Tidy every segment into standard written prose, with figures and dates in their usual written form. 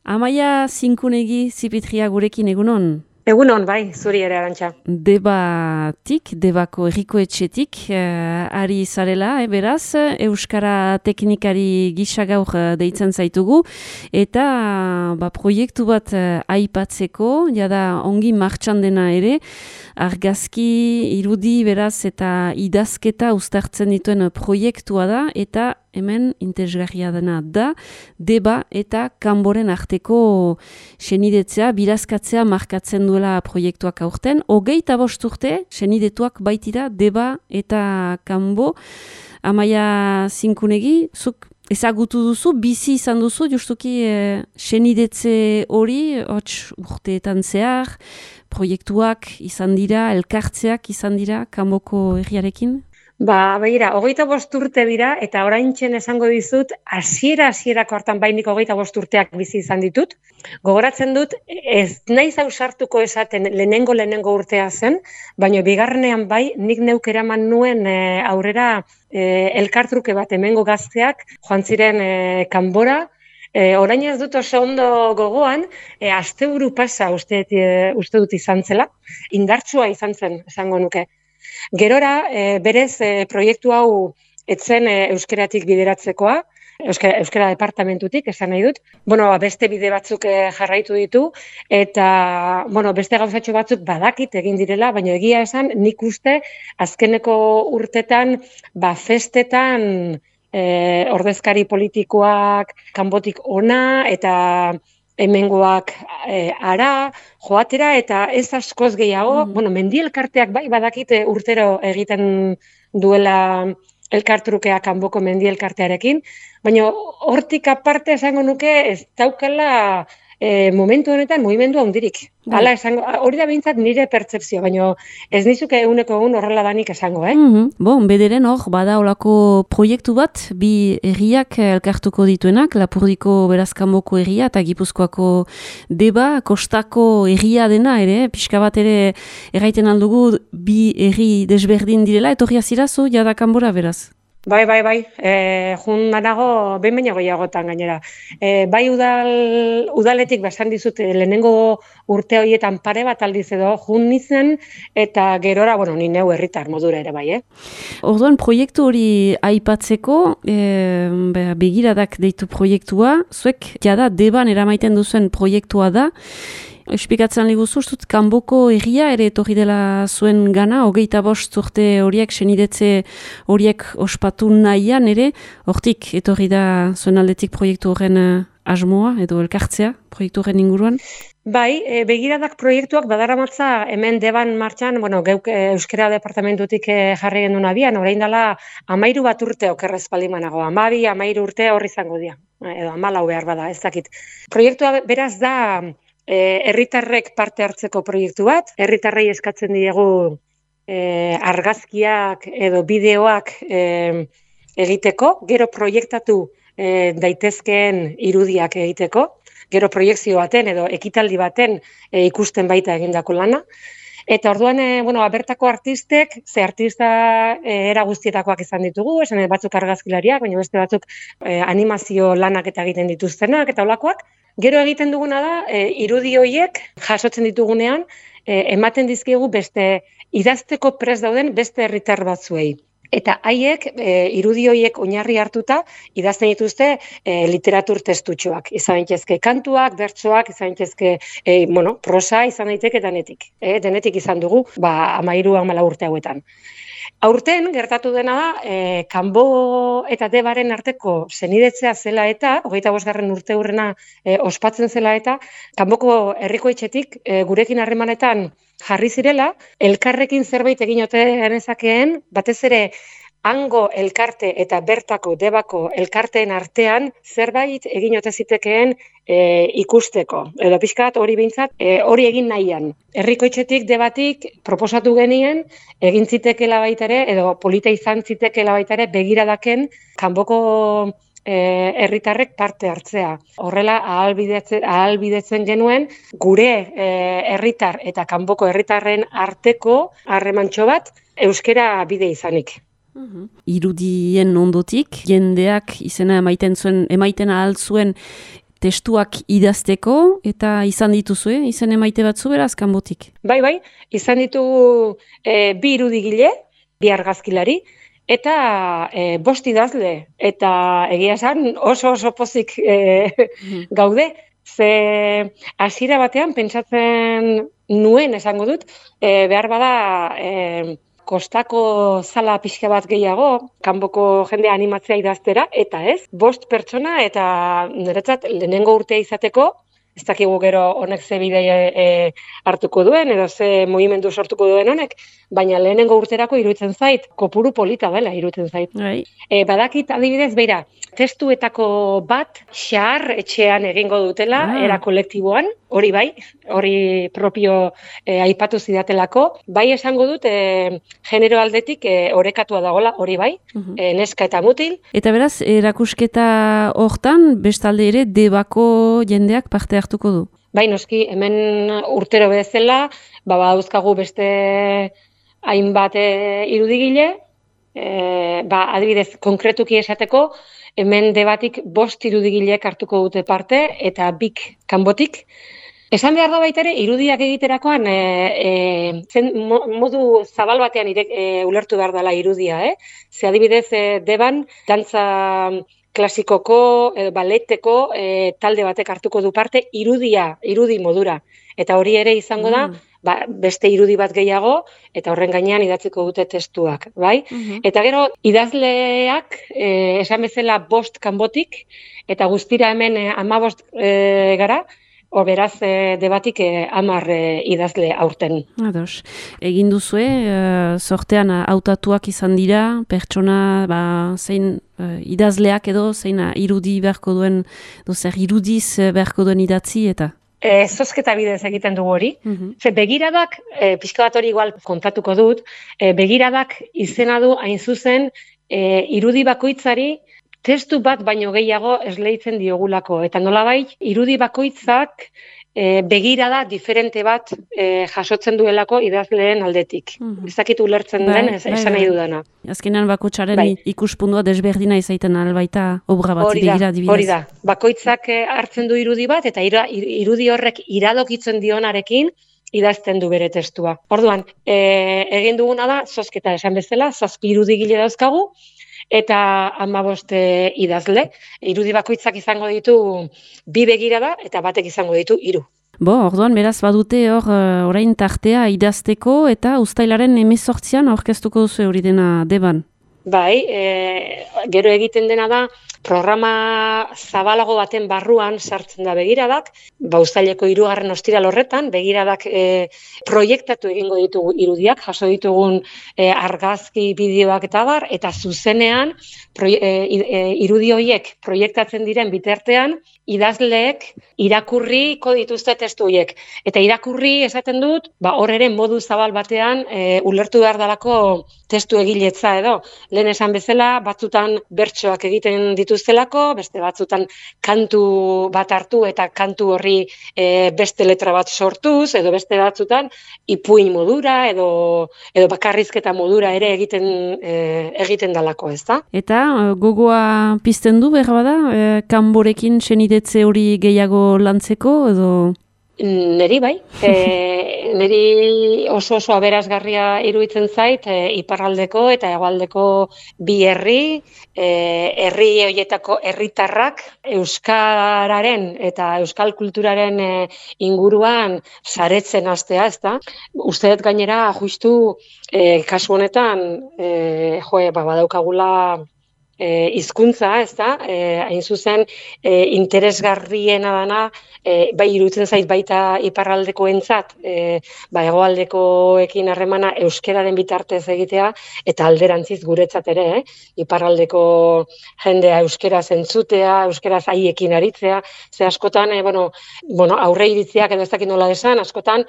Amaia Zinkunegi Zipitria gurekin egunon. Egunon, bai, zuri ere Arantxa. Debako herriko etxetik, ari zarela, beraz, Euskara teknikari gisa gaur deitzen zaitugu, eta proiektu bat aipatzeko, jada ongi martxan dena ere, argazki, irudi, beraz, eta idazketa uztartzen dituen proiektua da, eta hemen interesgarria dena da, deba eta kanboren arteko senidetzea, birazkatzea markatzen duela proiektuak aurten. 25 urte senidetuak baitira deba eta kanbo. Amaia Zinkunegi, zuk ezagutu duzu, bizi izan duzu, justuki senidetze hori, urteetan zehar, proiektuak izan dira, elkartzeak izan dira kanboko herriarekin? Begira, 25 urte dira, eta oraintzen esango dizut, hasierako hartan bainik 25 urteak bizi izan ditut. Gogoratzen dut, ez naiz ausartuko esaten lehenengo urtea zen, baina bigarrenean bai, nik neuk eraman nuen aurrera elkartruke bat hemengo gazteak, joan ziren kanbora. Orain ez dut oso ondo gogoan, asteburu pasa uste dut izan zela, indartsua izan zen, esango nuke. Gerora, berez, proiektu hau etzen euskeratik bideratzekoa, euskera departamentutik, esan nahi dut. Beste bide batzuk jarraitu ditu, eta beste gauzatxo batzuk badakit egin direla, baina egia esan nik uste azkeneko urtetan, festetan ordezkari politikoak kanbotik ona, eta hemengoak ara, joatera, eta ez askoz gehiago, mendi elkarteak bai badakite urtero egiten duela elkartrukea kanboko mendi elkartearekin, baina hortik aparte esango nuke ez daukala momentu honetan mugimendu handirik. Hala esango, hori da behintzat nire pertzepzio, baina ez nizuke eguneko egun horrela danik esango, Bederen hor, bada olako proiektu bat, bi herriak elkartuko dituenak, Lapurdiko beraz kanboko herria eta Gipuzkoako deba, kostako herria dena ere, pixka bat ere erraiten aldugu bi herri desberdin direla, etorria zirazu, jada kanbora beraz? Bai. Jun danago, behin baino gehiagotan gainera. Bai udaletik basan dizut lehenengo urte horietan pare bat aldiz edo jun nizen, eta gerora, ni neu herritar modura ere bai, Orduan, proiektu hori aipatzeko, begiradak deitu proiektua, zuek jada deban eramaiten duzuen proiektua da, espikatzen liguzu, kanboko herria ere etorri dela zuen gana, 25 urte horiek, senidetze horiek ospatu nahian ere, hortik etorri da zuen aldetik proiektu horren asmoa edo elkartzea proiektu horren inguruan? Bai, begiradak proiektuak badaramatza hemen deban martxan, geuk Euskara departamentutik jarri gendun abian, orain dela 13 urte okerrez palimanago, 12-13 urte horri izango dira, edo 14 behar bada, ez dakit. Proiektua beraz da herritarrek parte hartzeko proiektu bat, herritarrei eskatzen diegu argazkiak edo bideoak egiteko, gero proiektatu daitezkeen irudiak egiteko, gero proiekzio baten edo ekitaldi baten ikusten baita egindako lana. Eta orduan, bertako artistek, ze artista era guztietakoak izan ditugu, esan batzuk argazkilariak, baina beste batzuk animazio lanak eta egiten dituztenak eta olakoak. Gero egiten duguna da, irudi horiek jasotzen ditugunean, ematen dizkigu beste idazteko prest dauden beste herritar batzuei. Eta haiek, irudi horiek oinarri hartuta, idazten dituzte literatur testutxoak. Izan daitezke kantuak, bertsoak, izan daitezke prosa, izan daiteke denetik. Denetik izan dugu, 13-14 urte hauetan. Aurten gertatu dena da, kanbo eta debaren arteko senidetzea zela eta, 25. urte hurrena ospatzen zela eta, kanboko herriko etxetik gurekin harremanetan jarri zirela, elkarrekin zerbait egin ote genezakeen, batez ere hango elkarte eta bertako debako elkarteen artean zerbait egin ote zitekeen ikusteko. Edo pixkat hori behintzat, hori egin nahian. Herriko etxetik debatik proposatu genien, egin zitekela baita ere, edo polita izan zitekela baita ere, begiradaken kanboko herritarrek parte hartzea. Horrela ahalbidetzen genuen gure herritar eta kanboko herritarren arteko harremantxo bat euskera bide izanik. Irudien ondotik, jendeak izena emaiten ahal zuen testuak idazteko, eta izan dituzue, izen emaite batzu beraz, kanbotik. Bai, izan ditugu 2 irudigile, 2 argazkilari, eta 5 idazle, eta egia esan oso pozik gaude, ze hasiera batean pentsatzen nuen esango dut, behar bada kostako zala pixka bat gehiago, kanboko jendea animatzea idaztera, eta ez, 5 pertsona eta niretzat lehenengo urtea izateko, ez dakigu gero honek ze bide hartuko duen, edo ze mugimendu sortuko duen honek, baina lehenengo urterako iruditzen zait, kopuru polita dela iruditzen zait. Badakit adibidez, beira, testuetako bat xahar etxean egingo dutela, era kolektiboan, hori bai, hori propio aipatu zidatelako, bai esango dut genero aldetik orekatua dagola, hori bai, neska eta mutil. Eta beraz, erakusketa hortan, bestalde ere, Debako jendeak parte hartuko du? Bai, noski, hemen urtero bezala, badauzkagu beste hainbat irudigile, adibidez, konkretuki esateko, hemen Debatik 5 irudigilek hartuko dute parte, eta 2 kanbotik. Esan behar da baita ere, irudiak egiterakoan modu zabal batean ulertu behar dela irudia, Ze adibidez, Deban, dantza klasikoko, baleteko talde batek hartuko du parte irudi modura. Eta hori ere izango da, beste irudi bat gehiago, eta horren gainean idatziko dute testuak, bai? Eta gero, idazleak, esan bezala 5 kanbotik, eta guztira hemen 15 gara, beraz, Debatik 10 idazle aurten. Ados. Egin duzue, sortean hautatuak izan dira, pertsona, zein idazleak edo, zein irudi beharko duen, zer irudiz beharko duen idatzi, eta? Zozketa bidez egiten dugu hori. Begiradak, pixka bat hori igual kontatuko dut, begiradak izena du hain zuzen irudi bakoitzari testu bat baino gehiago esleitzen diogulako. Eta nolabait, irudi bakoitzak begirada diferente bat jasotzen duelako idazleen aldetik. Ez dakit ulertzen den, esan nahi dudana. Azkenean bakoitzaren ikuspuntua desberdina izaiten albaita obra bat begira dibidez. Hori da, bakoitzak hartzen du irudi bat, eta irudi horrek iradokitzen dionarekin idazten du bere testua. Orduan, egin duguna da, zozketa esan bezala, 7 irudigile dauzkagu, eta 15 idazle. Irudi bakoitzak izango ditu 2 begirada eta batek izango ditu 3. Orduan, beraz badute orain tartea idazteko eta uztailaren 18an aurkeztuko duzu hori dena Deban. Bai, gero egiten dena da, programa zabalago baten barruan sartzen da begiradak, uztaileko 3. ostiral horretan, begiradak proiektatu egingo ditugu irudiak, jaso ditugun argazki, bideoak eta bar, eta zuzenean irudi horiek proiektatzen diren bitartean, idazleek irakurriko dituzte testu horiek. Eta irakurri esaten dut, hor ere modu zabal batean ulertu behar dalako testu egiletza edo. Lehen esan bezala, batzutan bertsoak egiten dituztelako, beste batzutan kantu bat hartu eta kantu horri beste letra bat sortuz, edo beste batzutan ipuin modura edo bakarrizketa modura ere egiten dalako, ez da? Eta gogoa pizten du behar bada, kanborekin senidetze hori gehiago lantzeko edo? Neri bai, neri oso aberasgarria iruditzen zait, iparraldeko eta hegoaldeko 2 herri horietako herritarrak euskararen eta euskal kulturaren inguruan saretzen hastea, ezta? Uste dut gainera justu kasu honetan badaukagula hizkuntza, ezta? Hain zuzen interesgarriena dana, bai iruditzen zait baita iparraldekoentzat, hegoaldekoekin harremana euskararen bitartez egitea eta alderantziz guretzat ere, iparraldeko jendea euskaraz entzutea, euskaraz haiekin aritzea, ze askotan aurre iritziak edo ez dakit nola esan, askotan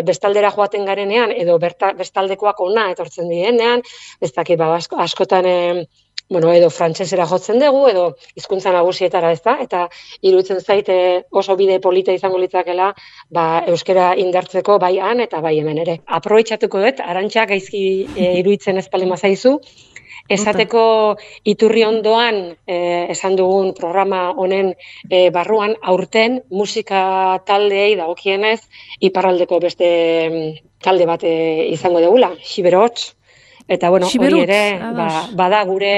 bestaldera joaten garenean edo bestaldekoak ona etortzen direnean, ez dakit askotan edo frantsesera jotzen dugu, edo hizkuntza nagusietara, ez da? Eta iruditzen zait oso bide polita izango litzakela euskara indartzeko bai han eta bai hemen ere. Aprobetxatuko dut, Arantxa gaizki iruditzen ez palema zaizu, Esateko iturri ondoan, esan dugun programa honen barruan, aurten musika taldeei dagokienez, iparraldeko beste talde bat izango dugula, Xiberots. Eta, bueno, hori ere, bada gure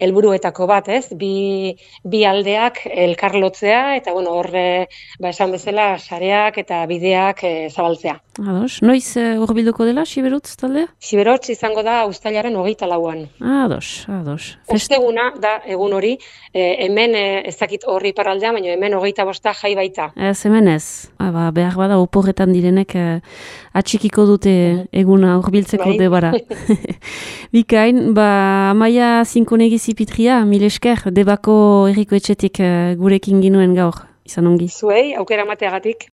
helburuetako bat, ez? Bi aldeak elkarlotzea, eta, bueno, horre, esan bezala, sareak eta bideak zabaltzea. Ados, noiz hurbilduko dela, Xiberotz taldea? Xiberotz izango da uztailaren 24an. Ados. Osteguna da egun hori, hemen ez dakit horri iparraldea, baina hemen 25 jai baita. Ez, hemen ez. Behar bada oporretan direnek atxikiko dute eguna hurbiltzeko debara. Bikain, Amaia Zinkonegi Zipitria, mil esker, Debako Herriko Etxetik gurekin ginuen gaur, izan ongi. Zuei, aukera mateagatik.